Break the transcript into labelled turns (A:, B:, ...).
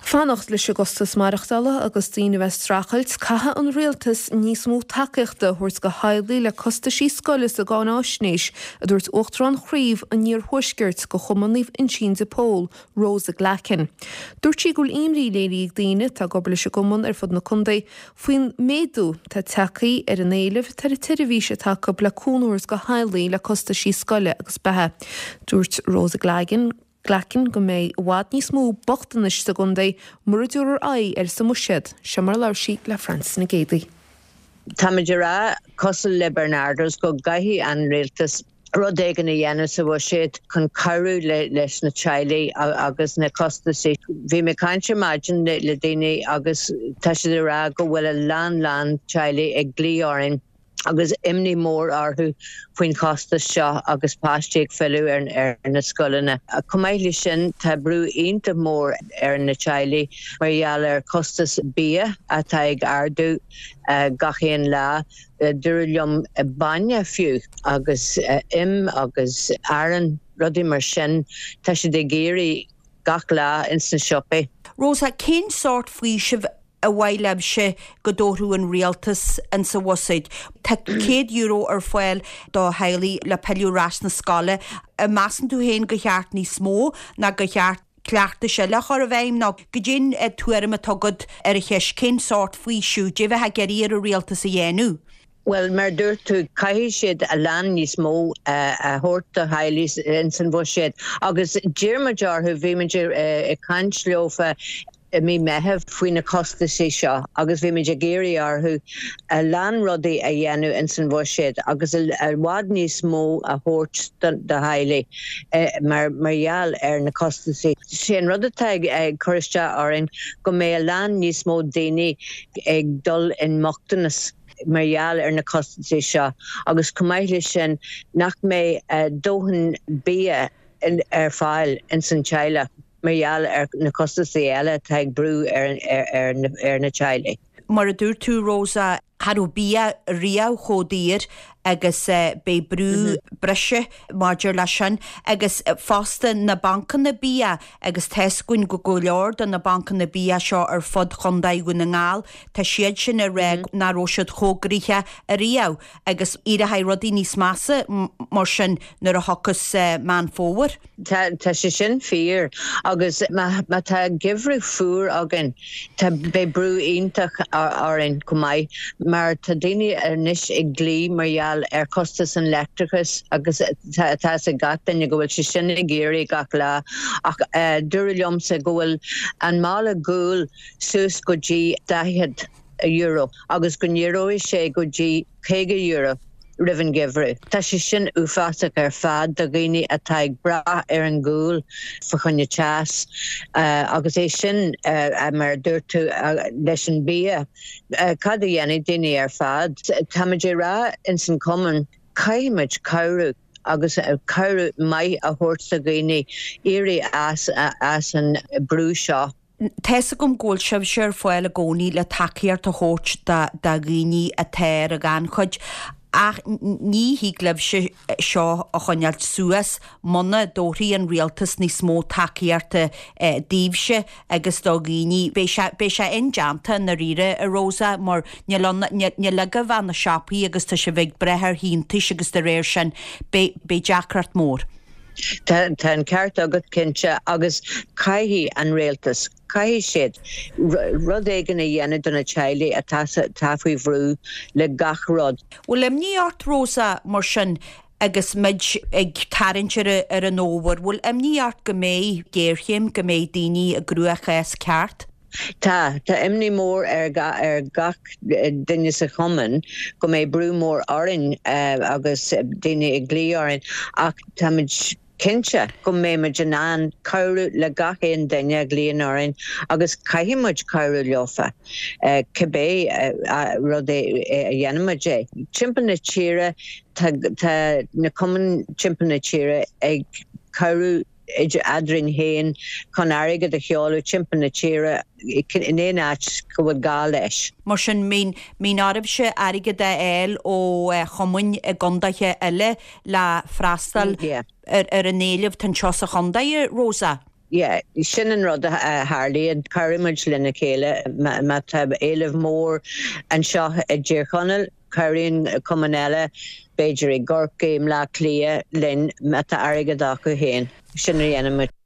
A: Fanacht leis an gcostas maireachtála agus daoine a bheith ag streachailt, caithfidh an Rialtas níos mó tacaíochta a thabhairt do theaghlaigh le costaisí scoile sa gcáináisnéis, a dúirt Uachtarán Chraobh an Iarthuaiscirt de Chumann Naomh Uinseann de Pól, Rosa Glackin. Dúirt sí go bhfuil imní léirithe ag daoine atá ag obair leis an gcumann ar fud na contae faoin méadú atá tagtha ar an éileamh atá ar an tseirbhís atá acu le cúnamh a thabhairt do theaghlaigh le costaisí scoile agus beatha. Dúirt Rosa Glackin Glackin go mbeidh i bhfad níos mó bochtanais sa gcontae mura dtabharfar aghaidh air sa mbuiséad. Seo mar a labhair sí le Francis Nic Géadaigh.
B: Táimid ag rá, cosúil le Barnardo's, go gcaithfidh an rialtas rud éigin a dhéanamh sa bhuiséad chun cabhrú leis na teaghlaigh agus na costaisí. Bhí mé ag caint ar maidin le daoine agus tá siad ag rá go bhfuil a lán lán teaghlaigh ag glaoch orainn agus imní mór orthu faoin chostas seo agus páistí ag filleadh ar na scoileanna. Chomh maith leis sin, tá brú iontach mór ar na teaghlaigh mar gheall ar chostas bia atá ag ardú gach aon lá. Dúradh liom bainne fiú agus im agus arán, rudaí mar sin, tá siad ag éirí gach lá ins na siopaí.
C: Rosa, cén sórt faoisimh ar mhaith libhse go dtabharfadh an rialtas insa bhuiséad. Tá €100 ar fáil do theaghlaigh le pilleadh ar ais na scoile. An measann tú féin gur cheart níos mó ná gur cheart cleachtais eile a chur i bhfeidhm nó goidé an tuairim atá agat ar an cheist cén sórt faoiseamh goidé a bheifeá ag iarraidh ar an rialtas a dhéanamh?
B: Bhuel, mar a dúirt tú, caithfidh siad a lán níos mó a thabhairt do theaghlaigh ins an bhuiséad agus d'iarr muid orthu, bhí muid ag caint leofa i mí Meitheamh faoi na costaisí seo agus bhí muid ag iarraidh orthu a lán rudaí a dhéanamh ins an bhuiséad agus i bhfad níos mó a thabhairt do theaghlaigh mar mar gheall ar na costaisí. Sé an rud atá ag cur isteach orainn go mbeidh a lán níos mó daoine ag dul i mbochtanas mar gheall ar na costaisí seo agus chomh maith leis sin nach mbeidh dóthain bia ar fáil ins an teaghlach. mar gheall ar na costaisí eile atá ag brú ar na teaghlaigh.
C: Mar a dúirt tú, Rosa, cha raibh bia riamh chomh daor agus beidh brú breise maidir leis sin agus fosta na bancanna bia agus tá's againn go go leor de na bancanna bia seo ar fud Chontae Dhún na nGall, tá siad sin ag rá nach raibh siad chomh gnoitheach ariamh agus éireoidh rudaí níos measa mar sin nuair a thiocfas Meán Fómhair.
B: Tá, tá sé sin fíor agus má, má tá geimhreadh fuar againn, tá, beidh brú iontach orainn chomh maith mar tá daoine anois ag glaoch mar gheall ar chostas an leictreachais agus tá, tá fhios ag gach duine go bhfuil sé sin ag éirí gach lá ach dúradh liomsa go bhfuil an mála guail suas go dtí €40 agus go n-éireoidh sé go dtí €50 roimh an gheimhreadh. Tá sé sin uafásach ar fad do dhaoine atá ag brath ar an ghual fa choinne teas agus é sin, mar a dúirt tú, leis an bia. Cad a dhéanfaidh daoine ar fad? Táimid ag rá ins an chumann, caithfimid cabhrú agus cabhrú maith a thabhairt do dhaoine éirí as as an brú seo.
C: Tá's agam go bhfuil sibhse ar fáil i gcónaí le tacaíocht a thabhairt do dhaoine atá ar an ghannchuid ach ní thig libhse seo a choinneáilt suas muna dtabharfaidh an rialtas níos mó tacaíochta daoibhse agus do dhaoine. Beidh sé, beidh sé indéanta i ndáiríre, a Rosa, mar níl ann, níl agaibh ach na siopaí agus tá sibh ag brath ar shíntiúis agus de réir sin beidh, beidh deacracht mór.
B: Tá an ceart agat cinnte agus caithfidh an rialtas, caithfidh siad rud éigin a dhéanamh do na teaghlaigh atá atá faoi bhrú le gach rud.
C: Bhfuil imní ort, Rosa, mar sin, agus muid ag tarraingt ar ar an fhómhar, bhfuil imní ort go mbeidh géarchéim, go mbeidh daoine i gcruachás ceart?
B: Tá. Tá imní mór ar ar gach duine sa chumann go mbeidh brú mór orainn agus daoine ag glaoch orainn ach táimid cinnte go mbeimid in ann cabhrú le gach aon duine a ghlaonn orainn agus caithfidh muid cabhrú leofa cibé rud é a dhéanaimid é. Timpeall na tíre tá tá na cumainn timpeall na tíre ag cabhrú idir eadrainn féin chun airgead a sheoladh timpeall na tíre in aon áit go bhfuil gá leis.
C: Mar sin, mbíonn oraibhse airgead a fháil ó chumainn i gcondaetha eile le freastal ar an éileamh atá anseo sa chondae, a Rosa?
B: Yeah, sin an rud a tharlaíonn. Cabhraíonn muid lena chéile. Má tá éileamh mór anseo i dTír Chonaill, cabhraíonn cumann eile, b'fhéidir i gCorcaigh, i mBleá Cliath, linn má tá airgead acu féin. Sin a dhéanann muid.